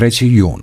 3. jun.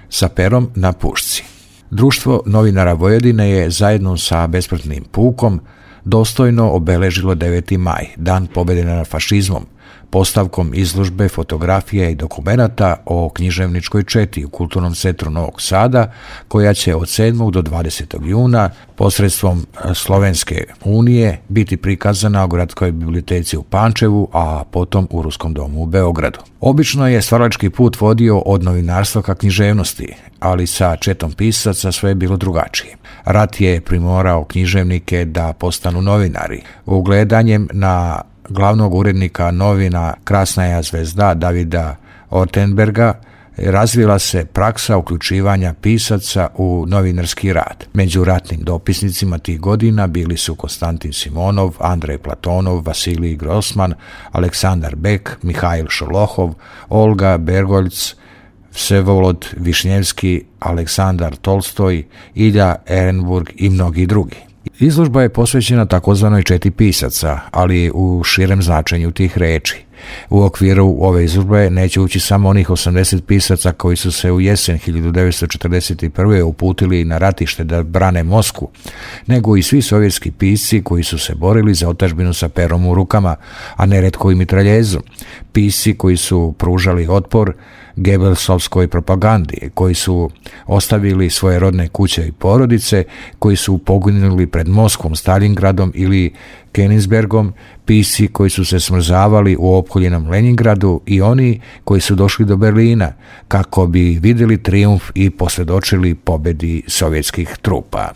Sa perom na pušci. Društvo novinara Vojvodine je zajedno sa besmrtnim pukom dostojno obeležilo 9. maj, dan pobjede nad fašizmom, postavkom izložbe fotografije i dokumenata o književničkoj četi u Kulturnom centru Novog Sada, koja će od 7. do 20. juna posredstvom Slovenske unije biti prikazana u Gradskoj biblioteci u Pančevu, a potom u Ruskom domu u Beogradu. Obično je stvaralački put vodio od novinarstva ka književnosti, ali sa četom pisaca sve je bilo drugačije. Rat je primorao književnike da postanu novinari. Ugledanjem na glavnog urednika novina Krasnaja zvezda Davida Ortenberga razvila se praksa uključivanja pisaca u novinarski rad. Među ratnim dopisnicima tih godina bili su Konstantin Simonov, Andrej Platonov, Vasilij Grossman, Aleksandar Bek, Mihajl Šolohov, Olga Bergoljc, Vsevolod Višnjevski, Aleksandar Tolstoj, Ilja Ehrenburg i mnogi drugi. Izložba je posvećena takozvanoj četi pisaca, ali u širem značenju tih reči. U okviru ove izložbe neće ući samo onih 80 pisaca koji su se u jesen 1941. uputili na ratište da brane Moskvu, nego i svi sovjetski pisci koji su se borili za otadžbinu sa perom u rukama, a neretko i mitraljezom. Pisci koji su pružali otpor Gebelsovskoj propagandi, koji su ostavili svoje rodne kuće i porodice, koji su poginuli pred Moskvom, Stalingradom ili Königsbergom, pisci koji su se smrzavali u opkoljenom Leningradu i oni koji su došli do Berlina kako bi vidjeli trijumf i posvjedočili pobjedi sovjetskih trupa.